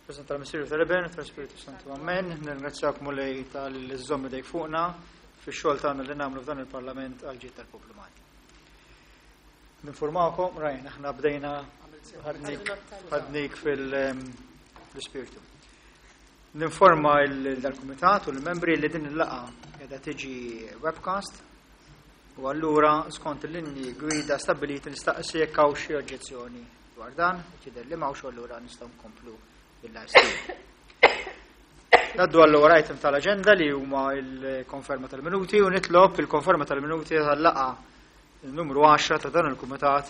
Preżent tal-Missier u tal-Iben u tal-Spiritu Santu. Amen. Nirringrazzjak Mulej talli żżomm idejk fuqna fix-xogħol tagħna li nagħmlu f'dan il-Parlament għal ġid tal-poplu Malti. Ninformakom, Ryan, aħna bdejna ħadnik fil-spiritu. Ninforma dal-Kumitat u l-membri li din il-laqgħa qiegħda tiġi webcast u allura skont il-linji gwida stabbiliti nistaqsi jekk hawn xi oġġezzjoni dwar dan, jidher li m'hawnx allura nistgħu nkomplu bil-live stream. Naddu għall-ewwel item tal-aġenda li huma l-konferma tal-minuti u nitlob il-konferma tal-minuti tal-laqgħa numru 10 ta' dan il-kumitat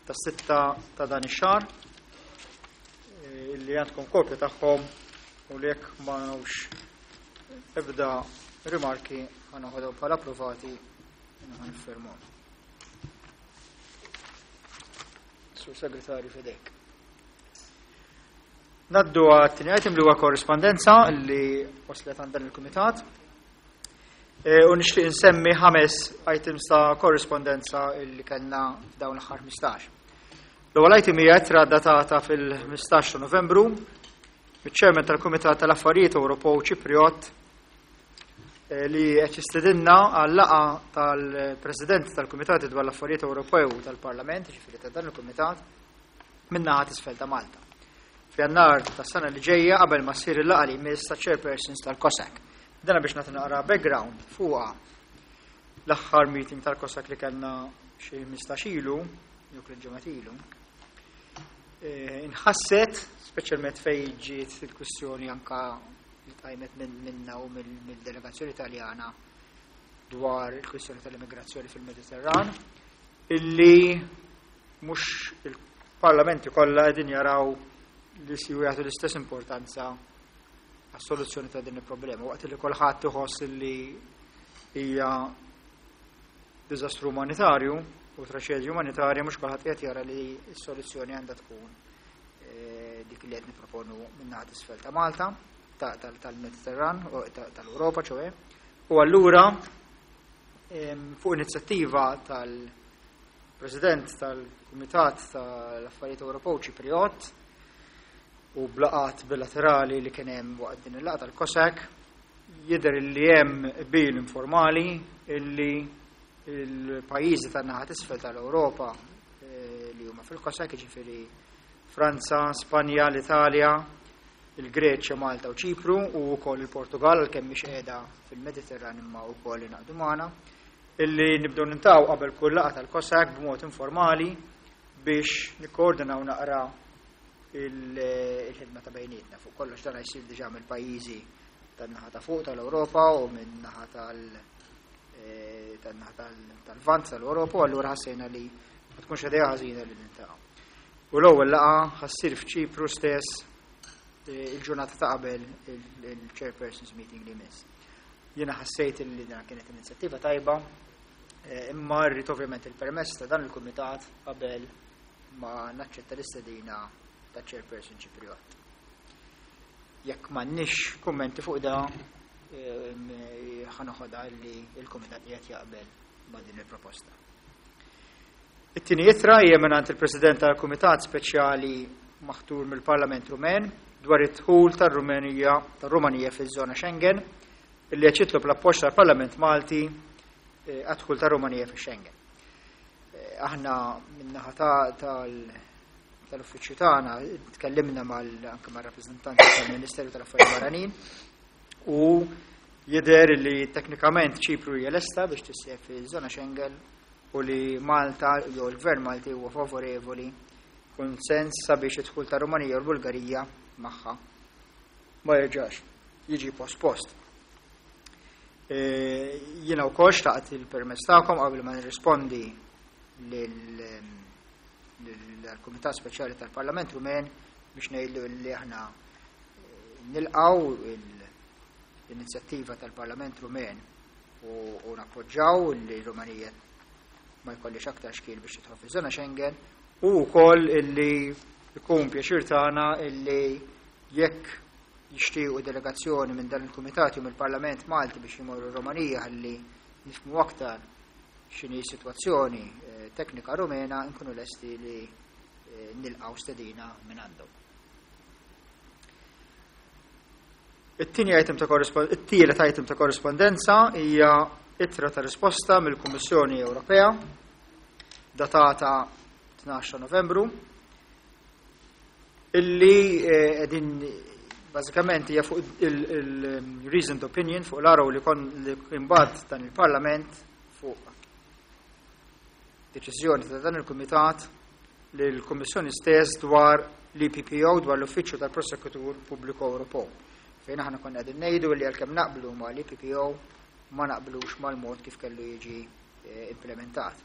tas-sitta ta' dan ix-xahar eh, li għandkom kopja tagħhom u li jekk ma nafx ebda rimarki ħanoħodhom bħala approvati ħaniffermhom. Sur Segretarju fidejk. Naddu għat-tieni item li huwa korrispondenza li waslet għand dan il-kumitat. E, u nixtieq insemmi ħames items ta' korrispondenza li kellna f'dawn l-aħħar 15. L-ewwel item hija ittra datata fil-15 ta' Novembru miċ-Chairman tal-Kumitat tal-Affarijiet Ewropew Ċipriot e, li qed jistedinna għal laqgħa tal-President tal-Kumitati dwar l-Affarijiet Ewropew tal-Parlament, ġifieri ta' dan il-Kumitat, min-naħa t'isfel ta' Malta. F'Jannar tas-sena li ġejja qabel ma ssir il-laqgħa li jmiss ta' chairpersons tal-COSAC. Dana biex nagħti naqra background fuqha l-aħħar meeting tal-COSAC li kellna xi 15 ilu, jew tliet ġimgħat ilu. Eh, inħasset, speċjalment fejn ġiet il-kwistjoni anka li tqajmet minna u mill-delegazzjoni Taljana dwar il-kwistjoni tal-immigrazzjoni fil-Mediterran, illi mhux il-parlamenti kollha qegħdin jaraw li si jagħtu l-istess importanza għas-soluzzjoni ta' din il-problema. Waqt li kulħadd iħoss li hija diżastru umanitarju u traċedja umanitarja mhux kulħadd qed jara li s-soluzzjoni għandha tkun eh, dik li qed niproponu minn naħa isfel ta' Malta, tal-Mediterran, tal-Ewropa ċoe. U allura fuq inizjattiva tal- President tal-Kumitat tal-Affarijiet Ewropew Ċipriot u b'laqgħat bilaterali li kien hemm waqt din il-laqgħa tal-COSAC jidher li hemm qbil informali illi il-pajjiżi tan-naħa t'isfel tal-Ewropa eh, li huma fil-COSAC, jiġifieri Franza, Spanja, l-Italja, il-Greċja, Malta u Ċipru u wkoll il-Portugal għalkemm mhix qiegħda fil-Mediterran imma wkoll ingħaqdu magħna. Illi nibdew nintaqgħu qabel kull laqgħa tal-COSAC b'mod informali biex nikkoordinaw naqra il-ħidma ta' bejnietna. Fuq kollox dan jsir diġà mill-pajjiżi tan-naħa ta' fuq tal-Ewropa u minn-naħa tal- eh, tan-naħa tal-vant tal-Ewropa u allura ħassejna li ma tkunx idea ħażina li nintaqgħu. U l-ewwel laqgħa ħassir f'Ċipru stess eh, il-ġurnata ta' qabel il-chairpersons meeting li jmiss. Jiena ħassejt li dan kienet inizjattiva tajba, eh, imma rrid ovvjament il-permess ta' dan il-kumitat qabel ma naċċetta l-istedina ta' chairperson Ċipriot. Jekk m'għandniex kummenti fuq da, eh, ħanoħodha li il-kumitat qiegħed jaqbel ma' din il-proposta. It-tieni ittra hija mingħand il-President tal-Kumitat Speċjali maħtur mill-Parlament Rumen dwar id-dħul tar-Rumenija tar-Rumanija fiż-żona Schengen illi qed jitlob l-appoġġ tal-Parlament Malti eh, għad-dħul tar-Rumanija fix-Schengen. Eh, aħna min-naħa tal-uffiċċju tagħna tkellimna mal anke mar-rappreżentanti tal-Ministeru tal-Affarijiet Barranin u jidher li teknikament Ċipru hija lesta biex tissieħeb fiż-żona Schengen u li Malta jew il-Gvern Malti huwa favorevoli kunsens sabiex id-dħul ta' Rumanija u l-Bulgarija magħha ma jerġax jiġi pospost. E, jiena wkoll xtaqt il-permess tagħkom qabel ma nirrispondi lill-Kumitat Speċjali tal-Parlament Rumen biex ngħidlu li aħna e, nilqgħu l-inizjattiva tal-Parlament Rumen u nappoġġaw li Rumanija ma jkollix aktar xkiel biex tidħol fiż-żona Schengen u wkoll illi jkun pjaċir tagħna illi jekk jixtiequ delegazzjoni minn dan il-Kumitat jew mill-Parlament Malti biex jmorru Rumanija ħalli nifhmu aktar x'inhi s-sitwazzjoni eh, teknika Rumena nkunu lesti li eh, nilqgħu stedina minn għandhom. It-tieni item ta' it-tielet item ta' korrispondenza hija ittra ta' risposta mill-Kummissjoni Ewropea datata 12 Novembru illi qegħdin bażikament hija fuq il-reasoned opinion fuq l-araw li kon li imbagħad dan il-Parlament fuq deċiżjoni ta' dan il-Kumitat li l-Kummissjoni stess dwar l-EPPO, dwar l-Uffiċċju tal-Prosekutur Pubbliku Ewropew. Fejn aħna konna qegħdin ngħidu li għalkemm naqblu ma l-EPPO ma naqblux mal-mod kif kellu jiġi implementat.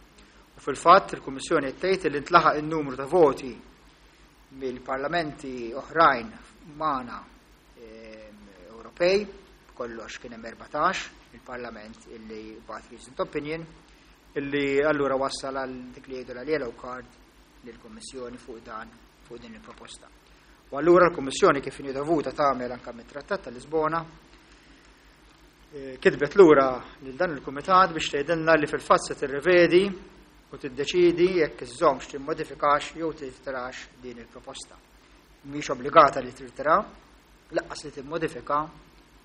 U fil-fatt il-Kummissjoni qed tgħid li ntlaħaq in-numru ta' voti mill-parlamenti oħrajn magħna Ewropej, kollox kien hemm 14 il-Parlament illi bagħat reasoned opinion, illi allura wassal għal dik li jgħidu l-yellow card lill-Kummissjoni fuq dan fuq din il-proposta. U allura l-Kummissjoni, kif inhi dovuta tagħmel anke mit-Trattat ta' Lisbona, kitbet lura lil dan il-Kumitat biex tgħidilna li fil-fatt se tirrevedi u tiddeċidi jekk iżżommx, timmodifikax jew tirtirax din il-proposta. Mhix obbligata li tirtira, lanqas li timmodifika,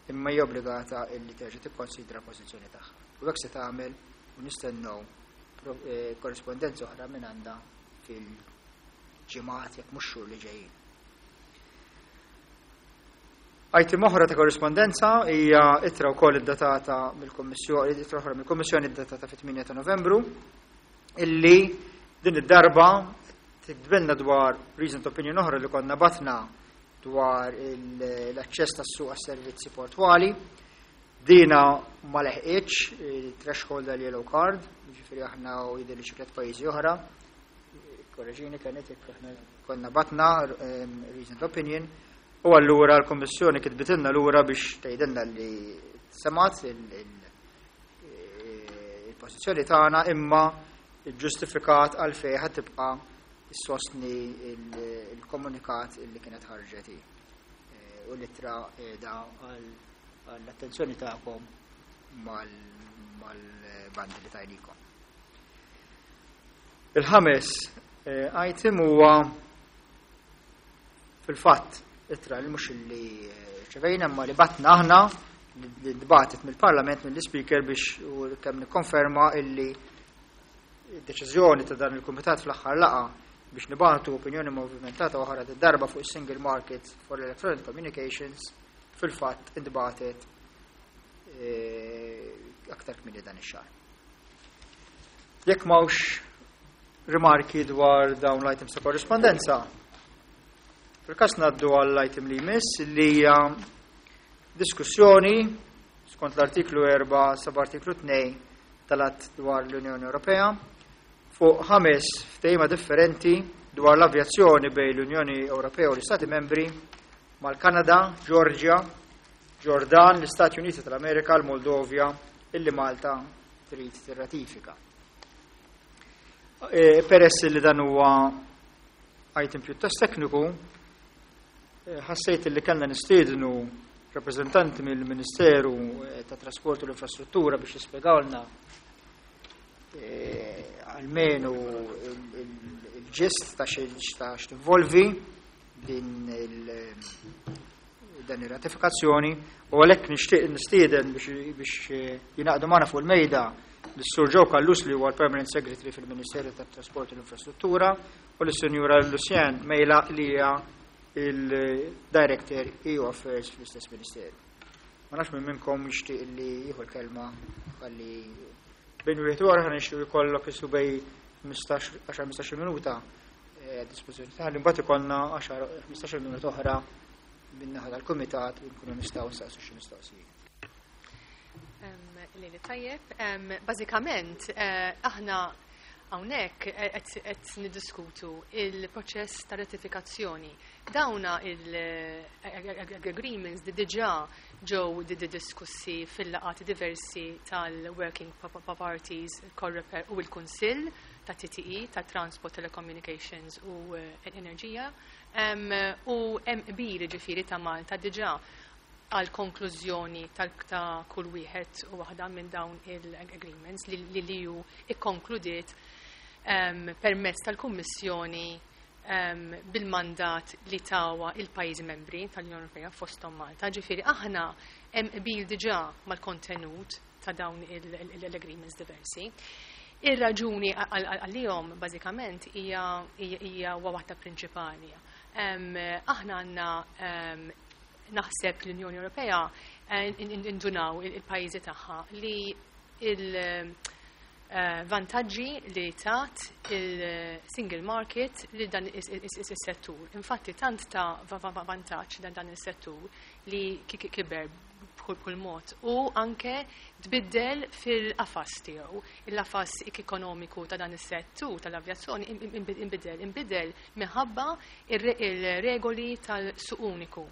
imma hija obbligata li terġa' tikkonsidra l-pożizzjoni tagħha. U hekk se tagħmel u nistennew korrispondenza oħra minn għandha fil-ġimgħat, jekk mhux xhur li ġejjin. Item oħra ta' korrispondenza hija ittra wkoll iddatata mill-Kummissjoni, ittra oħra mill-Kummissjoni iddatata fit-8 ta' Novembru, illi din id-darba tiktbilna dwar reasoned opinion oħra li konna batna dwar l-aċċess tas-suq għas-servizzi portwali. Dina ma leħqitx il-threshold tal-yellow card, ġifieri aħna u jidher li xi tliet pajjiżi oħra. Korreġini kienet jekk aħna konna batna reasoned opinion, u allura l-Kummissjoni kitbitilna lura biex tgħidilna li semat il-pożizzjoni tagħna imma ġustifikat għalfejn ħad tibqa' issostni il-komunikat illi kienet ħarġet hi. U l-ittra qiegħda għall-attenzjoni tagħkom mal-bandi li tajnikom. Il-ħames item huwa fil-fatt ittra li mhux li ċevejna imma li batna aħna, li dbatet mill-Parlament, mill-Speaker, biex u kemm nikkonferma illi deċiżjoni ta' dan il-Kumitat fl-aħħar laqa biex nibatu opinjoni movimentata oħra darba fuq is-Single Market for Electronic Communications fil-fatt intbatet aktar kmieni dan ix-xahar. Jekk m'hawnx rimarki dwar dawn l-items ta' korrispondenza, fil-każ ngħaddu għall-item li jmiss, li hija diskussjoni skont l-artiklu 4 sub-artiklu 2 tal-Att dwar l-Unjoni Ewropea fuq ħames ftehima differenti dwar l-avjazzjoni bejn l-Unjoni Ewropea u l-Istati Membri mal-Kanada, Georgia, Ġordan, l-Istati Uniti tal-Amerika, l-Moldovja, illi Malta trid tirratifika. Peress li dan huwa item pjuttost tekniku, ħassejt li kellna nistiednu rappreżentanti mill-Ministeru ta' Trasport u l-Infrastruttura biex jispjegawlna almenu il-gist ta' x'tinvolvi din dan ir-ratifikazzjoni, u għalhekk nixtieq nistieden biex jingħaqdu magħna fuq il-mejda lis-Sur Joe Callus, li huwa l-Permanent Secretary fil-Ministeru tat-Trasport u l-Infrastruttura, u lis-Sinjura Lucienne Mejla, li hija il-Director EU Affairs fl-istess Ministeru. Ma nafx minn minnkom jixtieq li jieħu l-kelma, ħalli bejn wieħed u ħa nixtieq jkollok isu bejn 10-15 minuta dispożizzjoni tagħna, imbagħad ikollna 10-15 minuta oħra min-naħa tal-kumitat u nkunu nistgħu nsaqsu xi mistoqsijiet. Lili tajjeb, bażikament aħna hawnhekk qed niddiskutu il-proċess ta' ratifikazzjoni. Dawna il-agreements di diġà ġew diskussi fil-laqgħat diversi tal-Working Parties, Coreper u l-Kunsill ta' TTE, ta' Transport, Telecommunications u Enerġija. U hemm qbil, ġifieri, ta' Malta diġà għal konklużjoni ta' kull wieħed u waħda minn dawn il-agreements li l-EU ikkonkludiet permezz tal-Kummissjoni. bil-mandat li tawa il-pajjiżi membri tal-Unjoni Ewropea, fosthom Malta. Ġifieri aħna hemm qbil diġà mal-kontenut ta' dawn l-agreements diversi. Ir-raġuni għalihom bażikament hija waħda prinċipali. Aħna għandna, naħseb l-Unjoni Ewropea indunaw il-pajjiżi tagħha li il-vantaġġi li tat il-single market li dan is-settur. Infatti tant ta' vantaġġ dan is-settur li kiber b'kull mod u anke tbiddel fil-qafas tiegħu. Il-qafas ekonomiku ta' dan is-settur tal-avjazzjoni imbidel minħabba ir-regoli tal-suq uniku.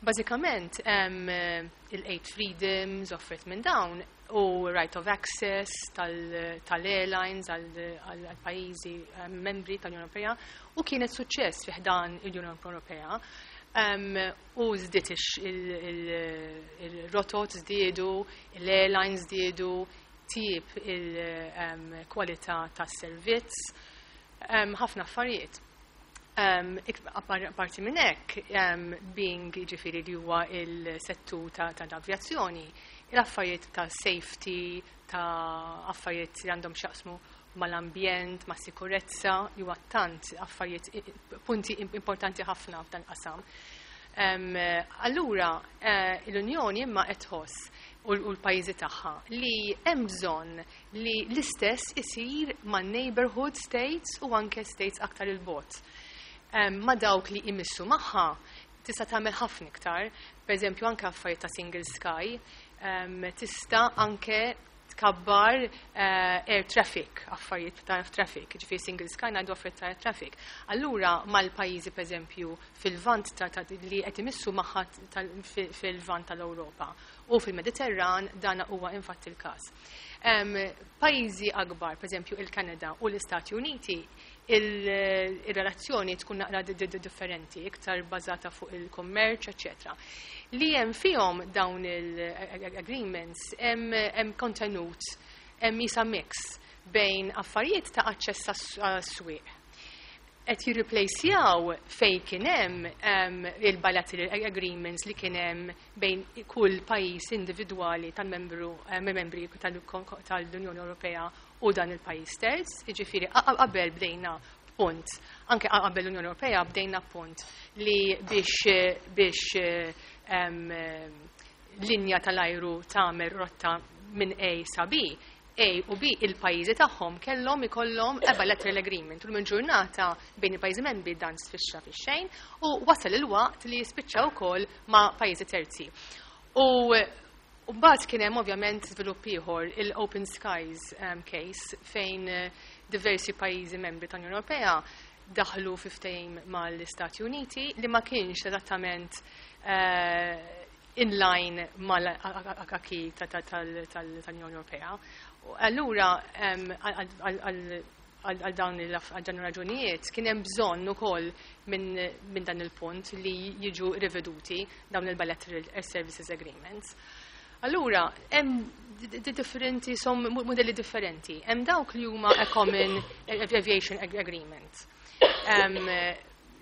Bażikament il-Eight Freedoms offert minn dawn u right of access tal-airlines għal-pajjiżi membri tal-Unjoni Ewropea u kienet suċċess fi ħdan l-Unjoni Ewropea. U żdiet il-rotot żdiedu, l-airlines żdiedu, tjieb il-kwalità tas-servizz, ħafna affarijiet. Apparti minn hekk, being ġifieri li huwa il-settur tal-avjazzjoni, l-affarijiet ta' safety, ta' affarijiet li għandhom x'jaqsmu mal-ambjent, ma' sikurezza, li huwa tant affarijiet, punti importanti ħafna f'dan qasam. Allura, l-Unjoni imma qed tħoss u l-pajjiżi tagħha li hemm bżonn li l-istess isir ma' neighborhood states u anke states aktar il-bogħod. Ma' dawk li imissu magħha tista' tagħmel ħafna iktar, pereżempju anke affarijiet ta' single sky, tista' anke tkabbar air traffic, affarijiet ta' traffic, ġifieri single sky ngħidu affarijiet ta' air traffic. Allura mal-pajjiżi, pereżempju, fil-vant li qed imissu magħha fil-vant tal-Ewropa u fil-Mediterran, dan huwa infatti il-każ. Pajjiżi akbar, pereżempju il-Kanada u l-Istati Uniti, il-relazzjoni tkun naqra differenti, iktar bażata fuq il-kummerċ, eccetera. Li hemm fihom dawn il-agreements hemm kontenut, hemm isa mix bejn affarijiet ta' aċċess għas-swieq. Qed jirreplacjaw fej kien hemm il-bilateral agreements li kien hemm bejn kull pajjiż individwali tal-membru membri tal-Unjoni Ewropea u dan il-pajjiż terz, jiġifieri qabel bdejna punt, anke qabel l-Unjoni Ewropea bdejna punt li biex linja tal-ajru tagħmel rotta minn A sa B, A u B il-pajjiżi tagħhom kellhom ikollhom a bilateral agreement. U minn ġurnata bejn il-pajjiżi membri dan sfixxa fix-xejn u wasal il-waqt li jispiċċa wkoll ma' pajjiżi terzi. U mbagħad kien hemm ovvjament żvilupp ieħor, il-Open Skies case, fejn diversi pajjiżi membri tal-Unjoni Ewropea daħlu fi ftehim mal-Istati Uniti li ma kienx esattament in line mal-acquis tal-Unjoni Ewropea. Allura, għal dawn raġunijiet kien hemm bżonn ukoll minn dan il-punt li jiġu riveduti dawn il-bilateral air services agreements. Allura, hemm differenti, som modelli differenti. Hemm dawk li huma a common aviation agreement.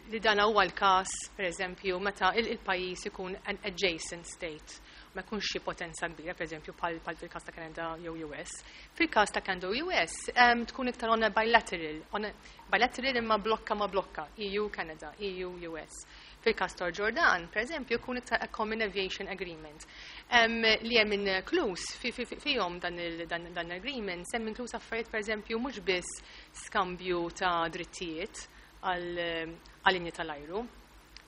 Li dan huwa l-każ, pereżempju, meta il-pajjiż ikun an adjacent state, ma jkunx xi potenza kbira, pereżempju bħal fil-każ ta' Canada jew US. Fil-każ ta' Canada u US tkun iktar on a bilateral, on a bilateral imma blokka ma' blokka, EU Canada, EU US. Fil-każ ta' Ġordan, pereżempju, jkun iktar a common aviation agreement. Li hemm inkluż fihom dan agreement, hemm inkluż affarijiet, pereżempju, mhux biss skambju ta' drittijiet għal linji tal-ajru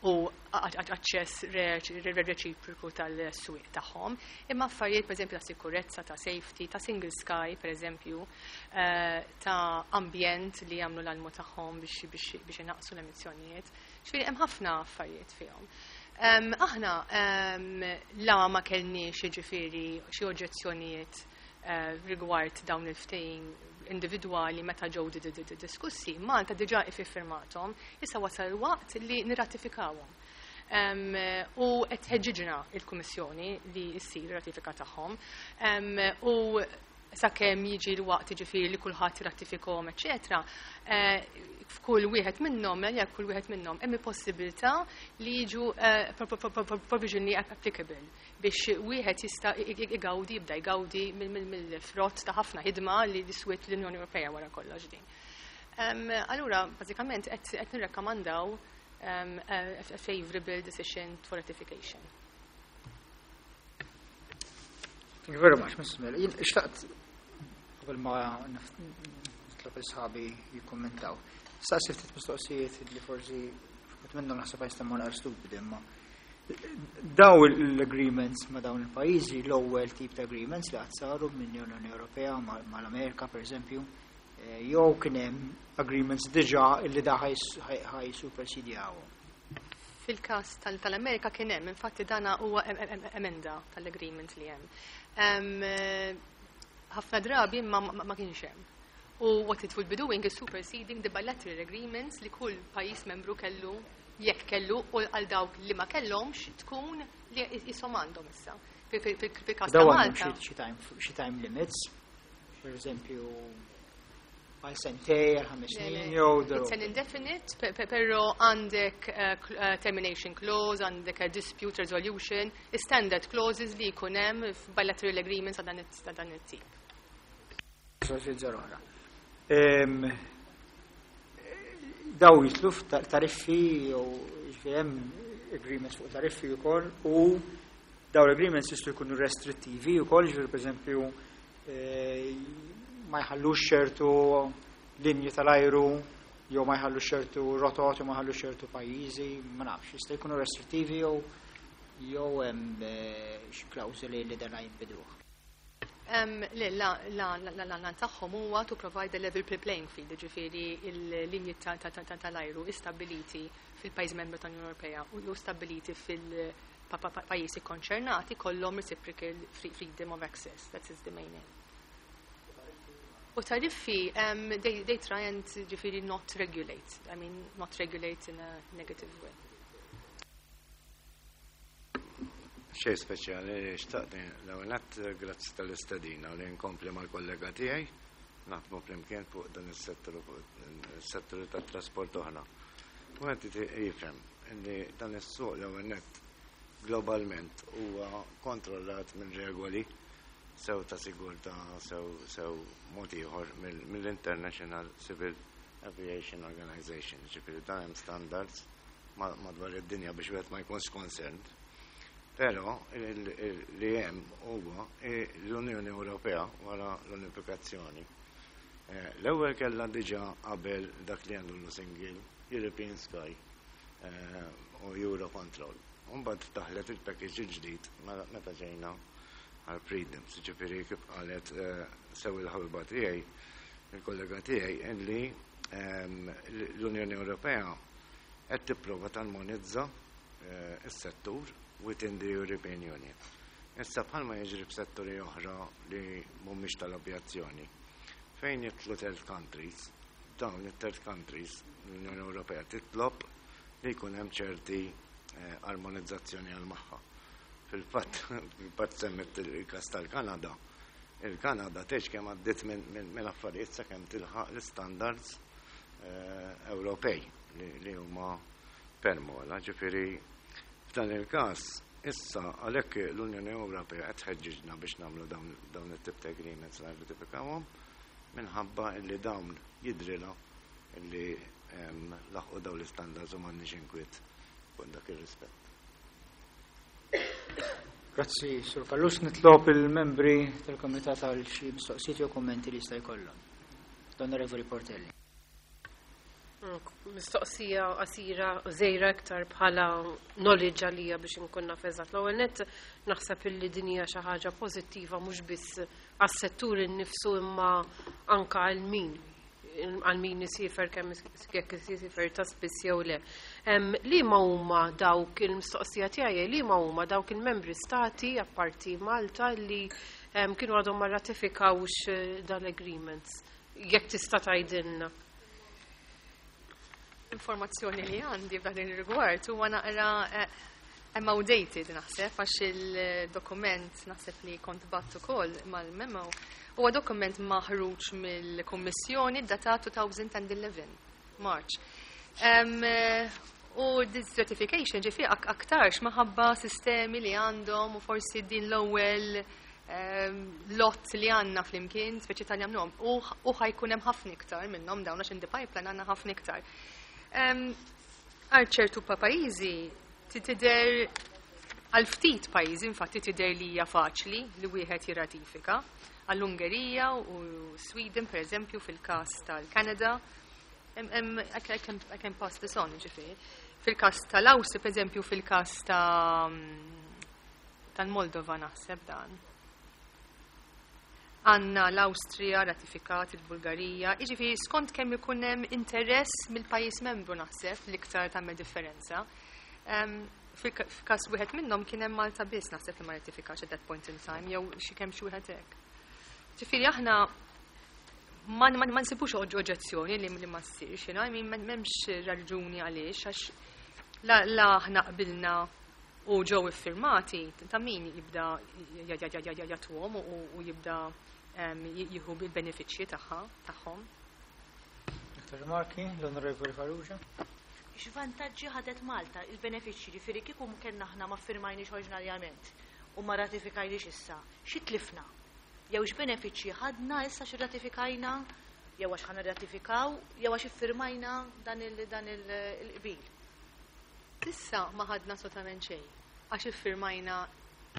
u aċċess reċiproku tal-swieq tagħhom, imma affarijiet, pereżempju, ta' sikurezza, ta' safety, ta' single sky pereżempju, ta' ambjent li jagħmlu l-almu tagħhom biex inaqqsu l-emissjonijiet. Ġifieri hemm ħafna affarijiet fihom. Aħna la ma kellniex ġifieri xi oġġezzjonijiet rigward dawn il-ftehim individwali meta ġew diskussi, Malta diġà iffirmathom, issa wasal il-waqt li nirratifikawhom. U qed tħeġġiġna il-Kummissjoni li ssir ratifika tagħhom. U sakemm jiġi l-waqt, ġifieri, li kulħadd jirratifikhom, eċetera, F'kull wieħed minnhom, jekk kull wieħed minnhom hemm il-possibilità li jiġu provisionally applicable biex wieħed jista' igawdi, jibda jgawdi mill-frott ta' ħafna ħidma li swiet l-Unjoni Ewropea wara kollox din. Allura, bażikament qed nirrakkomandaw a favorable decision for ratification. Thank you very much, Mrs. Miller. Jien xtaqt qabel ma nitlob il-sħabi jikkommentaw. Staqsi ftit mistoqsijiet li forsi ftit minnhom naħseb jistemmu naqra stupidi, imma daw l-agreements ma' dawn il-pajjiżi, l-ewwel tip ta' agreements li qatt saru mill-Unjoni Ewropea mal-Amerika, per eżempju, jew kien hemm agreements diġà illi da ħa jisupersidjawhom? Fil-każ tal-Amerika kien hemm, infatti dana huwa emenda tal-agreement li hemm. Ħafna drabi ma kienx hemm. U what it will be doing is superseding the bilateral agreements li kull pajjiż membru kellu, jekk kellu, u għal dawk li ma kellhomx tkun li jisom għandhom issa. Fil-każ ta' Daw għandhom Malta. xi time limits, per eżempju, għal sentej, għal 5 Le, snin, le. jew It's an indefinite, però għandek termination clause, għandek a dispute resolution, standard clauses li jkun hemm f'bilateral agreements ta' dan it-tip. Mistoqsijiet oħra. Daw jidħlu f'tariffi jew, jiġifieri, hemm agreements fuq tariffi wkoll, u daw l-agreements jistgħu jkunu restrittivi wkoll, jiġifieri, pereżempju, ma jħallux ċertu linji tal-ajru jew ma jħallux ċertu rotot jew ma jħallux ċertu pajjiżi, ma nafx, jista' jkunu restrittivi jew hemm xi klawżoli li dan jinbidluh? Le, la, la, la, la, la, la, tagħhom huwa to provide a level playing field, ġifieri il-linji tal-ajru istabiliti fil-pajjiż membru tal-Unjoni Ewropea u jew stabiliti fil-pajjiżi konċernati kollhom reciprocal freedom of access. That is the main aim. U tariffi, they try and, ġifieri, not regulate. I mean, not regulate in a negative way. Xej speċjali, xtaqt l-ewwel grazzi tal-istedina li nkompli mal-kollega tiegħi naħdmu flimkien fuq dan is-settur, fuq is-settur tat-trasport oħra. U qed jifhem li dan is-suq l-ewwel nett globalment huwa kontrollat minn regoli sew ta' sigurtà sew mod ieħor mill-International Civil Aviation Organization, ġifieri dan hemm standards madwar id-dinja biex wieħed ma jkunx concerned. Però li hemm huwa l-Unjoni Ewropea wara l-unifikazzjoni. L-ewwel kellha diġà qabel dak li għandu Single European Sky u Eurocontrol. Mbagħad daħlet il-package il-ġdid meta ġejna għal Freedoms, ġifieri kif qalet sew il-ħabiba tiegħi, il-kollega tiegħi, illi l-Unjoni Ewropea qed tipprova tarmonizza is-settur within the European Union. Issa, bħalma jiġri f'setturi oħra li mhumiex tal-avjazzjoni, fejn jidħlu third countries, dawn it-third countries l-Unjoni Ewropea titlob li jkun hemm ċerti armonizzazzjoni għal magħha. Fil-fatt semmet il-kas tal-Kanada. Il-Kanada tgħidx kemm għaddiet minn affarijiet sakemm tilħaq l-standards Ewropej li huma permola. Ġifieri f'dan il-każ issa għalhekk l-Unjoni Ewropea qed tħeġġiġna biex nagħmlu dawn it-tip ta' agreements, nirratifikawhom, minħabba li dawn jidrilha illi laħqu dawn l-istandards u m'għandniex inkwiet fuq dak ir-rispett. Grazzi, Sur Callus. Nitlob il-membri tal-Komitat għal xi mistoqsijiet jew kommenti li jista' jkollhom. L-Onorevoli Portelli. Mistoqsija qasira, żgħira, iktar bħala knowledge għalija biex nkun naf eżatt. L-ewwel nett naħseb illi din hija xi ħaġa pożittiva mhux biss għas-settur innifsu imma anka għal min isiefer, kemm jekk isiefer ta' spiss jew le. Li ma huma dawk il-mistoqsija tiegħi, li ma huma dawk il-membri stati apparti Malta li kienu għadhom ma ratifikawx dal-agreements? Jekk tista' tgħidilna. Informazzjoni li għandi f'dan il-rigward huwa naqra hemm outdated naħseb, għax il-dokument naħseb li kont bgħatt ukoll mal-memo huwa dokument maħruġ mill-Kummissjoni datat 2011. March. U this ratification ġifieri aktarx maħabba sistemi li għandhom u forsi din l-ewwel lot li għandna flimkien, speċi tal jagħmluhom, u ħa jkun hemm ħafna iktar minnhom dawn għax in the pipeline għandna ħafna iktar. Għal ċertu pajjiżi tidher, għal ftit pajjiżi infatti tidher li hija faċli li wieħed jirratifika. Għall-Ungerija u Sweden, per eżempju, fil-każ tal-Kanada, I can pass this on, ġifieri. Fil-każ tal-Awstria, per eżempju, fil-każ tal-Moldova naħseb dan. Għandna l-Awstrija ratifikat, il-Bulgarija, jiġifieri skont kemm ikun hemm interess mill-pajjiż membru naħseb l-iktar tagħmel differenza. Fil-każ wieħed minnhom kien hemm Malta biss naħseb li ma ratifikax at that point in time, jew xi kemm xi wieħed hekk. Ġifieri aħna ma nsibux oġġezzjoni li ma ssirx, I mean, m'hemmx raġuni għaliex, għax la aħna qbilna u ġew iffirmati, ta' min jibda jagħtuhom u jibda jieħu bil-benefiċċji tagħhom. Dr. Rimarki, l-Onorevoli Farrugia. X'vantaġġi ħadet Malta, il-benefiċċji, ġifieri kieku kellna aħna ma ffirmajniex oriġinarjament u ma ratifikajniex issa, xi tlifna? Jew x'benefiċċji ħadna issa xi ratifikajna, jew għax ħa nirratifikaw, jew għax iffirmajna dan il-qbil? Issa ma ħadna assolutament xejn, għax iffirmajna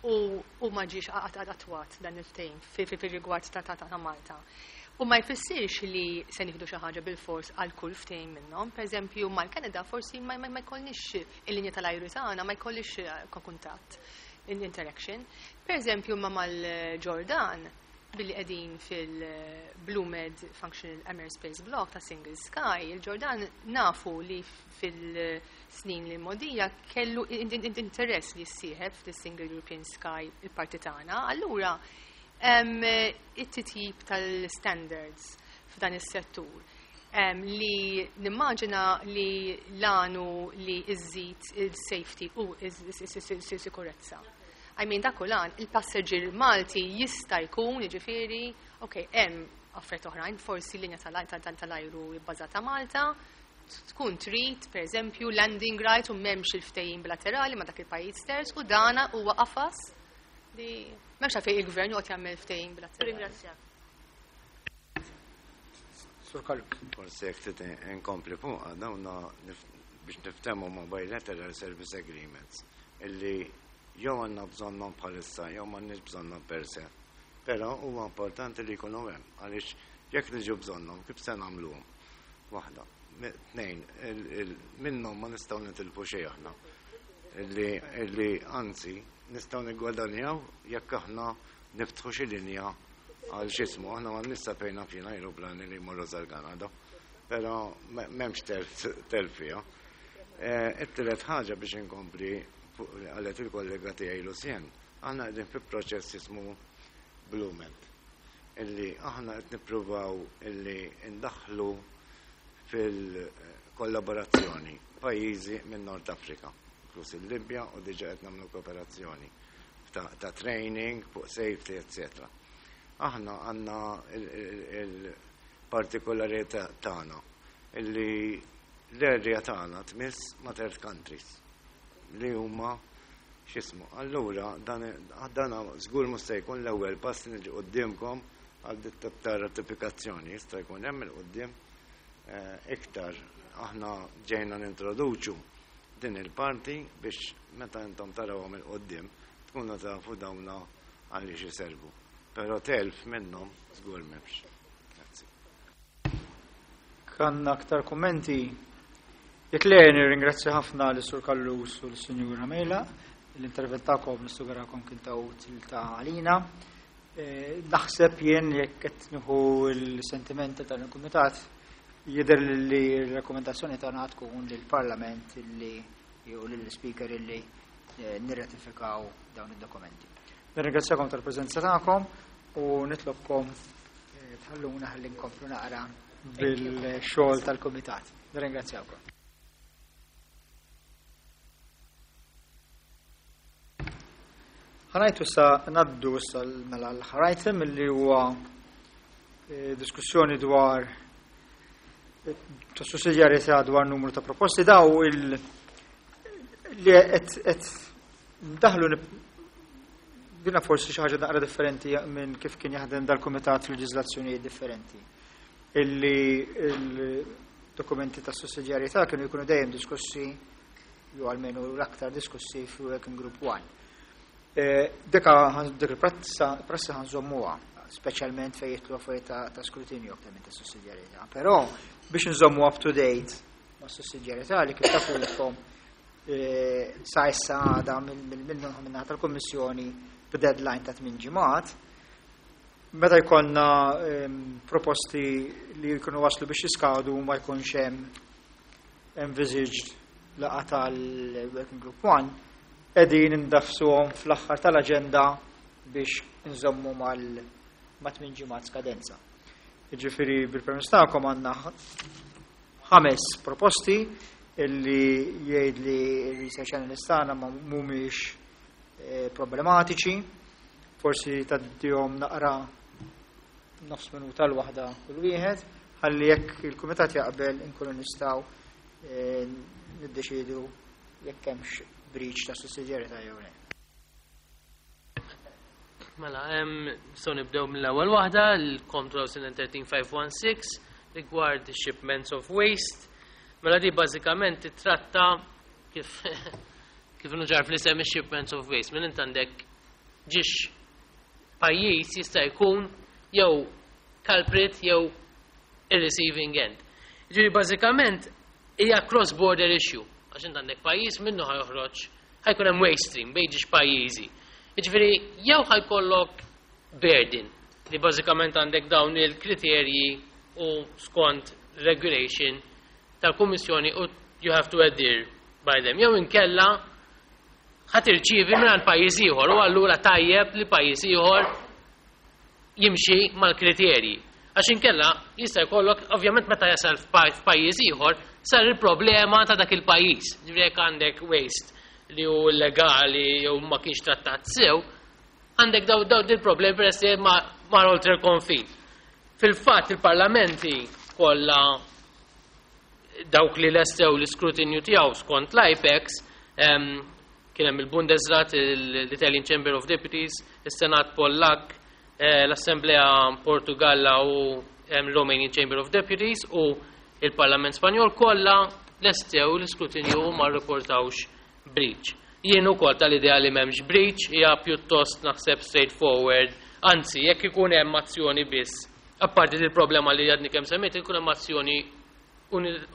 u ma ġiex attwat dan il-ftehim fir-rigward ta' Malta. U ma jfissirx li se nieħdu xi ħaġa bil-fors għal kull ftehim minnhom. Per eżempju, mal-Kanada forsi ma jkollniex il-linja tal-ajru tagħna, ma jkollix kuntatt, interaction. Per eżempju, ma mal-Ġordan, billi qegħdin fil-BlueMed Functional Airspace Block ta' Single Sky, il-Ġordan nafu li fil-snin li modija kellu interess li jissieħeb fil-Single European Sky il-parti tagħna. Allura, it-titjib tal-standards f'dan is-settur li nimmaġina li l-għanu li iżżid il-safety u is-sikurezza. I mean, dak l-għan, il-passeġġier Malti jista' jkun, jiġifieri, ok, hemm affarijiet oħrajn, forsi linja tal-ajru bbażata Malta, tkun trid, per eżempju, landing right u m'hemmx il-ftehim bilaterali ma' dak il-pajjiż terz u dana huwa qafas li m'hemmx għalfejn il-gvern joqgħod jagħmel ftehim bilaterali. Ringrazzjak. Sur Callus. Forsi jekk trid inkompli fuq dawna biex niftehmu ma' bilateral service agreements illi jew għandna bżonnhom bħalissa jew m'għandniex bżonnhom per se. Però huwa importanti li jkunu hemm għaliex jekk niġu bżonnhom kif se nagħmluhom? Waħda. Tnejn, minnhom ma nistgħu nitilfu xejn aħna. Illi anzi nistgħu niggwadanjaw jekk aħna niftħu xi linja għal x'ismu, aħna ma nista' fejn fejn ajruplani li jmorru sal-Kanada, però m'hemmx telf fiha. It-tielet ħaġa biex inkompli fuq li qalet il-kollega tiegħi Lucien, aħna qegħdin fi proċess jismu BlueMed, illi aħna qed nippruvaw illi ndaħħlu fil-kollaborazzjoni pajjiżi minn Nord Afrika, inkluż il-Libja, u diġà qed nagħmlu kooperazzjoni ta' training, fuq safety, eccetera. Aħna għandna il-partikolarità tagħna illi l-area tagħna tmiss ma' third countries li huma x'ismu. Allura dan żgur mhux se jkun l-ewwel pass li niġi quddiemkom għal dit ta' ratifikazzjoni, jista' jkun hemm il-quddiem iktar aħna ġejna nintroduċu din il-parti biex meta intom tarawhom il-quddiem tkunu tafu dawna għaliex iservu. Però telf minnhom żgur m'hemmx. Grazzi. Kanna aktar kummenti. Jekk le, nirringrazzja ħafna lis Sur Callus u l-Sinjura Mejla. L-intervent tagħkom nissugurakom kien ta' utili ta' għalina. Naħseb jien jekk qed nieħu l-sentimenti tal-Kumitat jidher li r-rakkomandazzjoni tagħna tkun lill-Parlament illi jew lill-Speaker illi nirratifikaw dawn id-dokumenti. Nirringrazzjakom tal-preżenza tagħkom u nitlobkom tħalluna ħalli nkomplu naqra bil-xogħol tal-Kumitat. Nirringrazzjawkom. Ħanajtu sa naddu issa mela l-aħħar item li huwa diskussjoni dwar Ta' sussidjarjetà dwar numru ta' proposti daw il li qed daħlu dina forsi xi ħaġa naqra differenti minn kif kien jaħdem dal-kumitat f'leġiżlazzjonijiet differenti. Illi il-dokumenti ta' sussidjarjetà kienu jkunu dejjem diskussi jew almenu l-aktar diskussi fi Working Group 1. Dika dik il-prassi ħa nżommuha, speċjalment fejn jidħlu affarijiet ta' skrutinju aktar minn ta' sussidjarjetà. Però biex nżommu up to date ma' sussidjarjetà li kif tafu intkom sa issa għada minn tal-Kummissjoni b'deadline ta' 8 ġimgħat, meta jkollna proposti li jkunu waslu biex jiskadu ma jkunx hemm envisaged laqgħa tal-Working Group 1, qegħdin indafsuhom fl-aħħar tal-aġenda biex nżommu ma' 8 ġimgħat skadenza. Jiġifieri bil-permess tagħkom għandna ħames proposti illi jgħid li r-research analyst tagħna ma mhumiex problematiċi, forsi tgħaddihom naqra nofs minuta l-waħda kull wieħed, ħalli jekk il-kumitat jaqbel inkunu nistgħu niddeċidu jekk hemmx breach ta' sussidjarjetà jew le. Mela, so nibdew mill-ewwel waħda, l-COM 2013-516 rigward shipments of waste. Mela di bażikament titratta kif nuġar fl-isem shipments of waste. Minn int għandek ġiex pajjiż jista' jkun jew culprit jew il-receiving end. Ġifieri bażikament hija cross-border issue. Għax int għandek pajjiż minnu ħa joħroġ ħa jkun hemm waste stream bejn ġiex pajjiżi. Jiġifieri jew ħa jkollok burden li bażikament għandek dawn il-kriterji u skont regulation tal-Kummissjoni u you have to adhere by them. Jew inkella ħa tirċievi minn pajjiż ieħor u allura tajjeb li pajjiż ieħor jimxi mal-kriterji. Għax inkella jista' jkollok ovvjament meta jasal f'pajjiż ieħor sar il-problema ta' dak il-pajjiż. Ġifieri jekk għandek waste li hu illegali jew ma kienx trattat sew, għandek daw dil problemi peress li ma oltre il-konfin. Fil-fatt il-parlamenti kollha dawk li lestew l-iskrutinju tiegħu skont l-IPEX kien hemm il-Bundesrat, l-Italian Chamber of Deputies, is-Senat Pollak, l-Assemblea Portugalla u Romanian Chamber of Deputies u il-Parlament Spanjol kollha lestew l-iskrutinju u ma rriportawx breach. Jien ukoll tal-idea li m'hemmx breach hija pjuttost naħseb straightforward, anzi jekk ikun hemm azzjoni biss, apparti il-problema li għadni kemm semmejt, ikun hemm azzjoni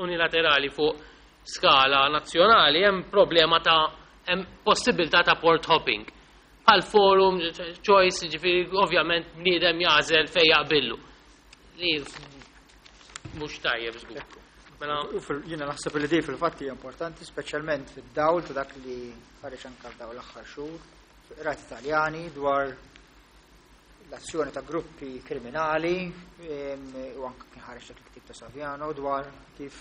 unilaterali fuq skala nazzjonali, hemm problema ta' hemm possibilità ta' port hopping. Għal forum choice, ġifieri ovvjament bniedem jagħżel fejn jaqbillu. Li mhux tajjeb żgur. Mela jiena naħseb li di fil-fatt hija importanti, speċjalment fid-dawl ta' dak li ħareġ anke dawn l-aħħar xhur rati Italjani dwar l-azzjoni ta' gruppi kriminali u anke kien ħareġ dak il-ktib ta' Saviano dwar kif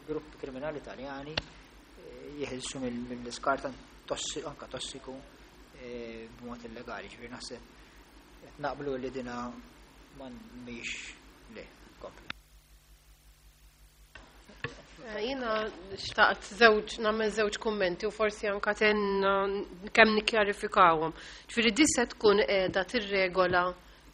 gruppi kriminali Italjani jeħilsu mill-iskart anka tossiku b'mod illegali. Ġifieri naħseb qed naqblu li dina ma mhix le. Kompli. Jiena xtaqt żewġ nagħmel żewġ kummenti u forsi anka ten kemm nikkjarifikawhom. Ġifieri di se tkun qiegħda tirregola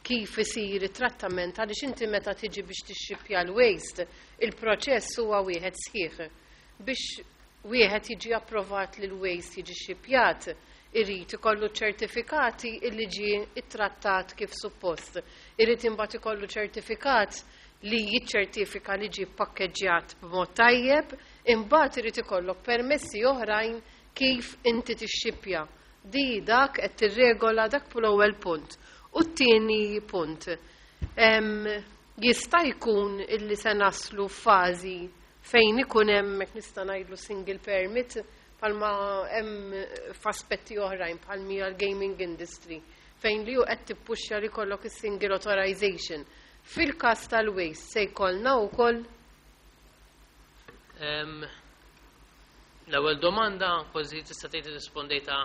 kif isir it-trattament għaliex inti meta tiġi biex tixxipja l-waste, il-proċess huwa wieħed sħiħ. Biex wieħed jiġi approvat li l-waste jiġi xipjat, irid ikollu ċertifikati illi ġie ittrattat kif suppost. Irid imbagħad ikollu ċertifikat li jiċċertifika li ġie pakkeġġjat b'mod tajjeb, imbagħad irid ikollok permessi oħrajn kif inti tixxipja. Di dak qed tirregola dak l-ewwel punt. U t-tieni punt. Jista' jkun illi se naslu f'fażi fejn ikun hemm hekk nista' ngħidlu single permit bħalma hemm f'aspetti oħrajn bħal mija l-gaming industry fejn li hu qed tippuxxa li jkollok is-single authorization. Fil-każ tal-waste se jkollna wkoll L-ewwel domanda kważi tista' tgħid irrispondejta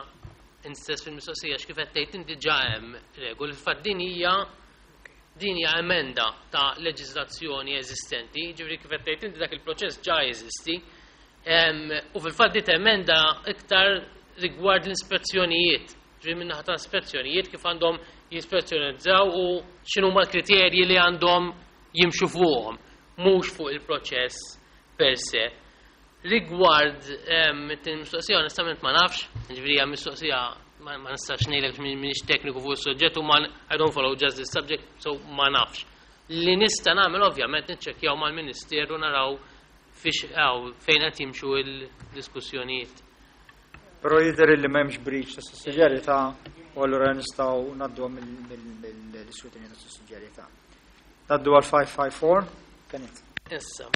int stess fil-mistoqsija x'kif qed tgħid inti ġa hemm regoli. Fil-fatt din hija Din hija emenda ta' leġiżlazzjoni eżistenti, ġifieri kif qed tgħid inti dak il-proċess ġa jeżisti. U fil-fatt di emenda iktar rigward l-ispezzjonijiet, ġifieri min-naħa ta' ispezzjonijiet kif għandhom jispezzjonizzaw u x'inhuma l-kriterji li għandhom jimxu fuqhom, mhux fuq il-proċess per se. Rigward it-tieni mistoqsija onestament ma nafx, ġifieri hija mistoqsija ma nistax ngħidlek m'iniex tekniku fuq is-suġġett u ma I don't follow just this subject, so ma nafx. Li nista' nagħmel ovvjament niċċekkjaw mal-Ministeru naraw fiex fejn qed jimxu l-diskussjonijiet. Però jidher li m'hemmx breach ta' sussidjarjetà u allura nistgħu ngħadduha mill-iskrutinju ta' sussidjarjetà. Ngħaddu għal 554, Kenneth. Issa.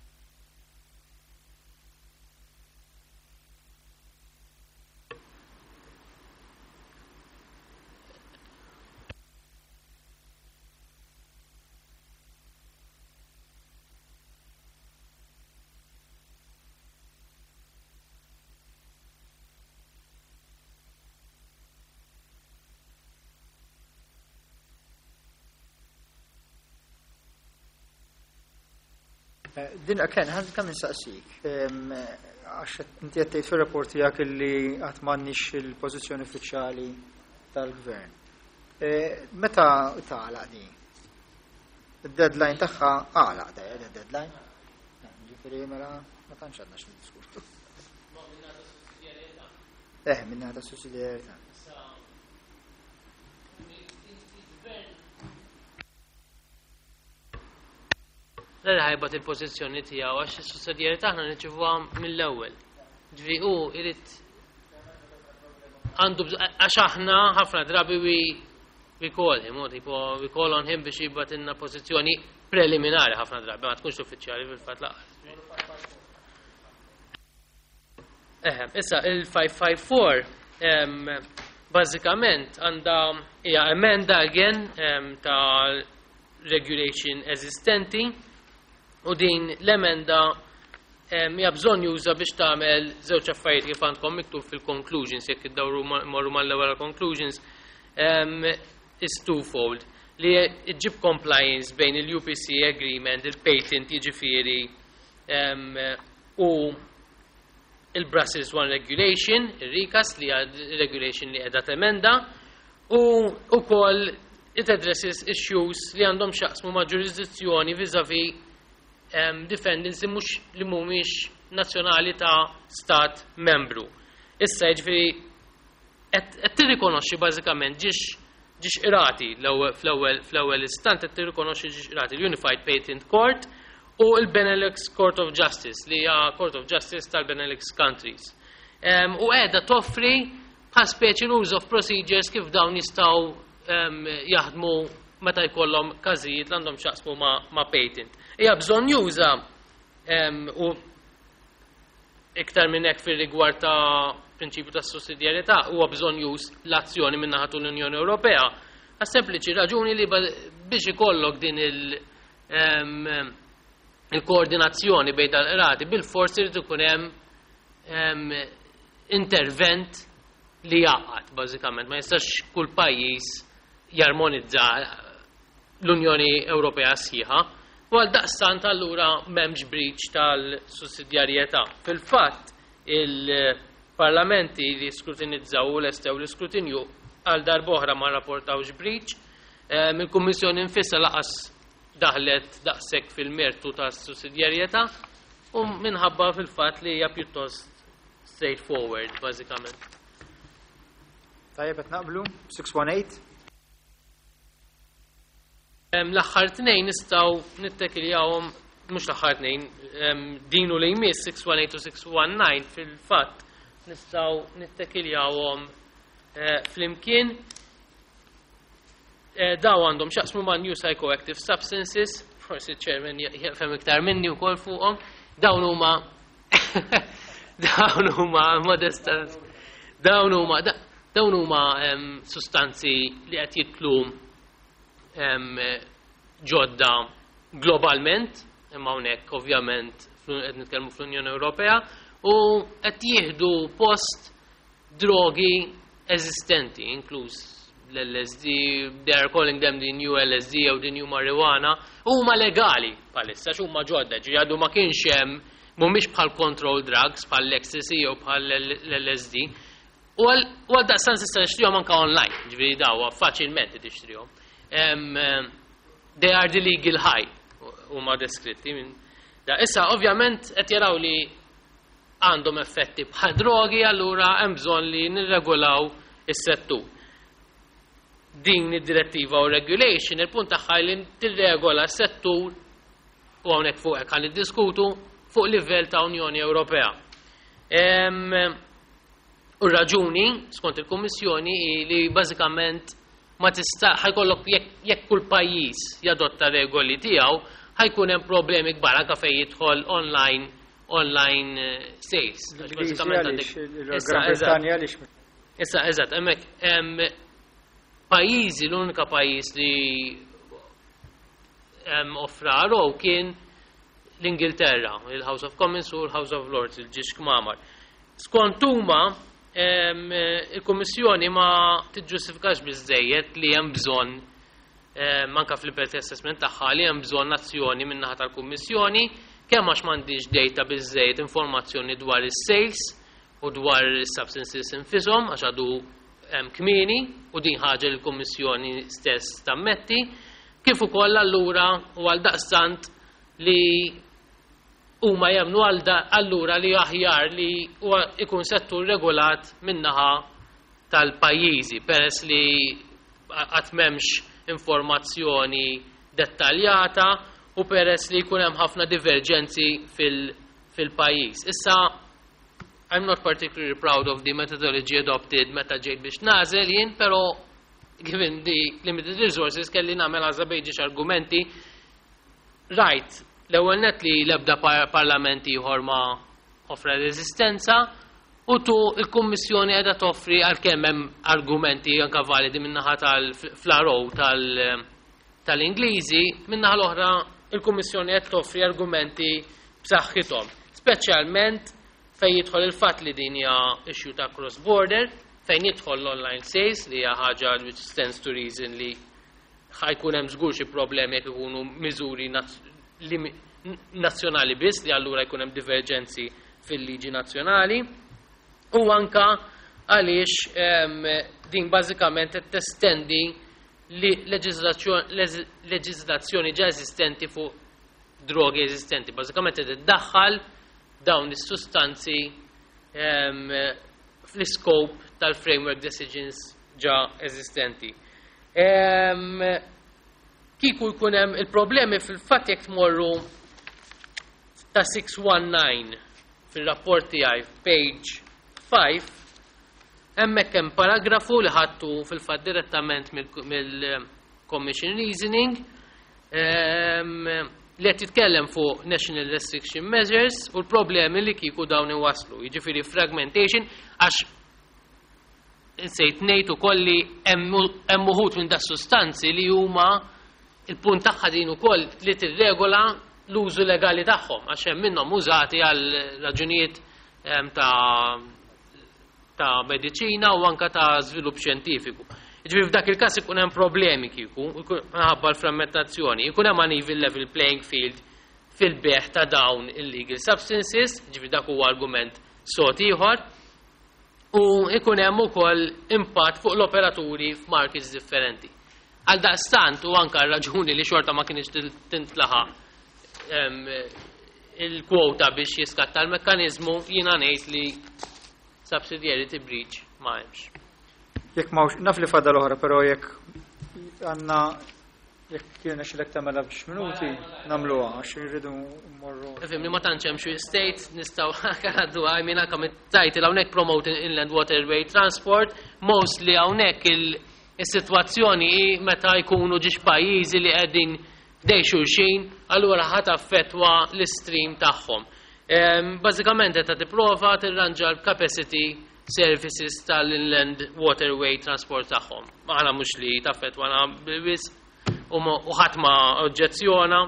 Din Ken, ħan kemm insaqsik. Għax inti qed tgħid fir-rapport tiegħek illi qatt m'għandniex il-pożizzjoni uffiċjali tal-gvern. Meta tagħlaq din? Id-deadline tagħha għalaq da deadline. Ġifieri mela ma tantx għandna x'niddiskutu. Minna ta' sussidjarjetà. L ħajbat il-pożizzjoni tiegħu għax is-sussidjarjetà aħna nirċivuha mill-ewwel. Ġifieri hu irid għandu għax aħna ħafna drabi we call him, tipo we call on him biex jibgħatilna pożizzjoni preliminari ħafna drabi, ma tkunx uffiċjali fil-fatt lanqas. Issa il-554 bażikament għandha hija emenda again ta' regulation eżistenti u din l-emenda hija bżonn juża biex tagħmel żewġ affarijiet kif għandkom miktub fil-conclusions, jekk iddawru morru mal-ewwel conclusions, is twofold li ġġib compliance bejn il-UPC agreement, il-patent jiġifieri u il-Brussels One Regulation, il-recast li regulation li qiegħda temenda, u wkoll it addresses issues li għandhom x'jaqsmu ma' ġurisdizzjoni vis-a-vis defendants li mhux li mhumiex nazzjonali ta' stat membru. Issa jiġifieri qed tirrikonoxxi bażikament ġiex qrati fl-ewwel istant qed tirrikonoxxi ġiex qrati l-Unified Patent Court u l-Benelux Court of Justice li hija Court of Justice tal-Benelux Countries. U qiegħda toffri bħal speċi rules of procedures kif dawn jistgħu jaħdmu meta jkollhom każijiet li għandhom x'jaqsmu ma' patent. Hija bżonn juża u iktar minn hekk fir-rigward ta' prinċipju ta' sussidjarjetà huwa bżonn już l-azzjoni minn naħa l-Unjoni Ewropea. Għas sempliċi raġuni li biex ikollok din il-koordinazzjoni bejn dal-qrati bil-forsi irid ikun hemm intervent li jaqgħad bażikament. Ma jistax kull pajjiż jarmonizza l-Unjoni Ewropea sħiħa. U għal daqstant allura m'hemmx breach tal-sussidjarjetà. Fil-fatt il-parlamenti li skrutinizzaw u lestew l-iskrutinju għal darb'oħra ma rapportawx breach, il-Kummissjoni nfisha lanqas daħlet daqshekk fil-mertu tas-sussidjarjetà u minħabba fil-fatt li hija pjuttost straightforward bażikament. Tajjeb qed naqblu 618. L-aħħar tnejn nistgħu nittekiljawhom mhux l-aħħar tnejn, din u li jmiss 618 u 619 fil-fatt nistgħu nittekiljawhom flimkien. Daw għandhom x'jaqsmu ma' new psychoactive substances, forsi chairman jafhem iktar minni wkoll fuqhom. Dawn huma dawn huma modesta dawn huma dawn huma sustanzi li qed jitlu ġodda globalment, imma hawnhekk ovvjament qed nitkellmu fl-Unjoni Ewropea, u qed jieħdu post drogi eżistenti, inkluż l-LSD, they are calling them the new LSD jew the new marijuana, huma legali bħalissa x'huma ġodda, ġifieri għadu ma kienx hemm, mhumiex bħal control drugs, bħal l-ecstasy jew bħal l-LSD. U għal daqstant tista' tixtrihom anke online, ġifieri daw faċilment tixtrihom. They are the legal high huma deskritti minn da. Issa ovvjament qed jaraw li għandhom effetti bħal drogi, allura hemm bżonn li nirregolaw is-settur. Din id-direttiva u regulation, il-punt tagħha li tirregola s-settur, u hawnhekk fuq hekk ħa niddiskutu fuq livell ta' Unjoni Ewropea. U raġuni, skont il-Kummissjoni, hi li bażikament ma tista' ħa jkollok jekk kull pajjiż jadotta regoli tiegħu, ħa jkun hemm problemi kbar anke fejn jidħol online sales. L-Ingliżi Bażikament għaliex għandek il-Gran Issa, eżatt. Brittanja għaliex Issa, eżatt, hemmhekk hemm pajjiżi, l-unika pajjiż li hemm offra RO kien l-Ingilterra, il-House of Commons u l-House of Lords, il-ġiex kmamar. Skont huma, il-Kummissjoni ma tiġġustifikax biżżejjed li hemm bżonn, anke fl-impact assessment tagħha, li hemm bżonn azzjoni min-naħa tal-Kummissjoni, kemm għax m'għandix data biżżejjed informazzjoni dwar is-sales u dwar is-substances infisom, għax għadu hemm kmieni u din ħaġa li l-Kummissjoni stess tammetti, kif ukoll allura u għal daqstant li huma jemnu allura li aħjar li huwa ikun settur regolat min-naħa tal-pajjiżi, peress li qatt m'hemmx informazzjoni dettaljata u peress li jkun hemm ħafna diverġenzi fil-pajjiż. Issa, I'm not particularly proud of the methodology adopted meta ġejt biex nażel jien, però given the limited resources kelli nagħmel għażla bejn ġiex argumenti. Right, l-ewwel net li l-ebda parlament ieħor ma offra reżistenza, u tu il-Kummissjoni qiegħda toffri għalkemm hemm argumenti anke validi min-naħa tal-fl-RO tal-Ingliżi, min-naħa l-oħra il-Kummissjoni qed toffri argumenti b'saħħithom, speċjalment fejn jidħol il-fatt li din hija issue ta' cross-border, fejn jidħol l-online sales li hija ħaġa which stands to reason li ħa jkun hemm żgur xi problemi jekk ikunu miżuri nazzjonali biss, li allura jkun hemm diverġenzi fil-liġi nazzjonali, u anka għaliex din bażikament qed testendi li leġiżlazzjoni ġa eżistenti fuq drogi eżistenti. Bażikament qed iddaħħal dawn is-sustanzi fl-iskop tal-framework decisions ġa eżistenti. Kieku jkun hemm il-problemi fil-fatt jekk tmorru ta' 619 fil-rapport tiegħi page 5, hemmhekk hemm paragrafu li ħadtu fil-fatt direttament mill-Commission Reasoning, li qed jitkellem fuq National Restriction Measures u l-problemi li kieku dawn iwaslu. Jiġifieri fragmentation, għax insejt ngħid ukoll li hemm uħud minn da sustanzi li huma il-punt tagħha din ukoll li tirregola l-użu legali tagħhom, għax hemm minnhom użati għal raġunijiet ta' mediċina u anka ta' żvilupp xjentifiku. Jiġifieri f'dak il-każ ikun hemm problemi kieku, minħabba l-frammentazzjoni, ikun hemm uneven level playing field fil-beħ ta' dawn illegal substances, jiġifieri dak huwa argument sod ieħor, u ikun hemm ukoll impatt fuq l-operaturi f'markets differenti. Għal daqstant u anka raġuni li xorta ma kienx tintlaħaq il-kwota biex jiskatta l-mekkanizmu, jiena ngħid li subsidiarity breach ma hemmx. Jekk ma naf li fadal oħra, però jekk għandna jekk kiena xilek tagħmilha b'xi minuti nagħmluha għax irridu mmorru. Ifhimni, ma tantx hemm xi state nistgħu ngħaddu għaj minn anke mit-title hawnhekk promote inland waterway transport, mostly hawnhekk is-sitwazzjoni hi meta jkunu ġiex pajjiżi li qegħdin dej xulxin, allura ħadd affettwa l-stream tagħhom. Bażikament qed tipprova tirranġa l-capacity services tal-inland waterway transport tagħhom. Aħna mhux li taffettwana biss u ħadd ma oġġezzjona.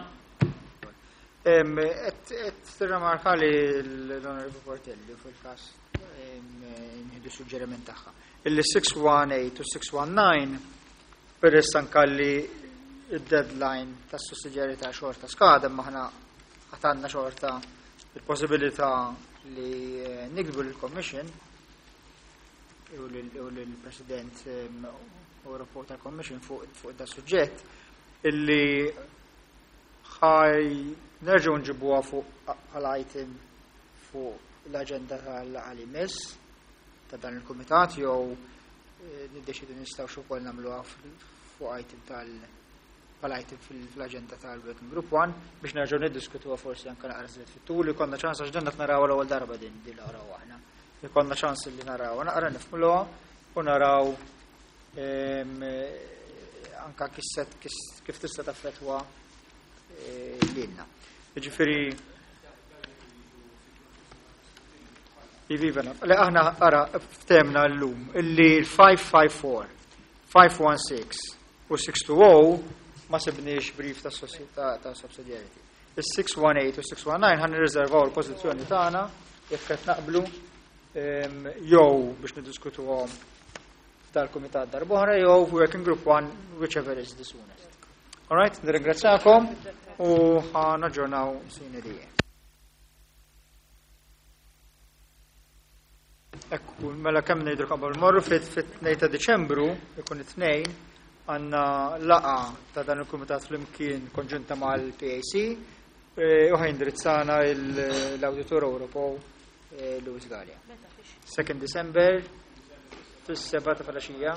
Qed tirrimarka li l-Onorevoli Portelli fil-każ nħidu suġġeriment tagħha. Illi 618 u 619 peress anka li id-deadline tas sussidjarjetà xorta skada, imma aħna għatanna xorta il-possibilità li nikbu l-Commission u l-President Ewropew tal-Commission fuq da suġġett illi ħaj nerġgħu nġibuha fuq bħala item fuq l-aġenda tal-laqgħa li jmiss ta' dan il-kumitat jew niddeċidu nistgħu ukoll nagħmluha fuq item tal bħala item fil-aġenda tal-Working Group 1 biex nerġgħu niddiskutuha forsi anke naqra żied fit-tul, ikollna ċans għax dan qed naraw l-ewwel darba din naraw aħna. Ikollna ċans li naraw naqra nifhmuha u naraw anka kif tista' taffettwa lilna. Jiġifieri Iva, le aħna ara ftemna llum illi l-554, 516 u 620 ma sibniex brief ta' subsidiarity. Il-618 u 619 ħan nirriservaw il-pożizzjoni tagħna jekk qed naqblu jew biex niddiskutuhom tal-kumitat darb'oħra jew working group 1, whichever is the soonest. All right, nirringrazzakom u ħa naġġornaw sine die. Ekku, mela kemm ngħidu qabel morru fit-2 ta' Diċembru, ikun it-tnejn, għandna laqgħa ta' dan il-kumitat flimkien konġunta mal-PAC u ħa jindirizzana l-Awditur Ewropew Louis Galea. 2 December fis-7 ta' filgħaxija.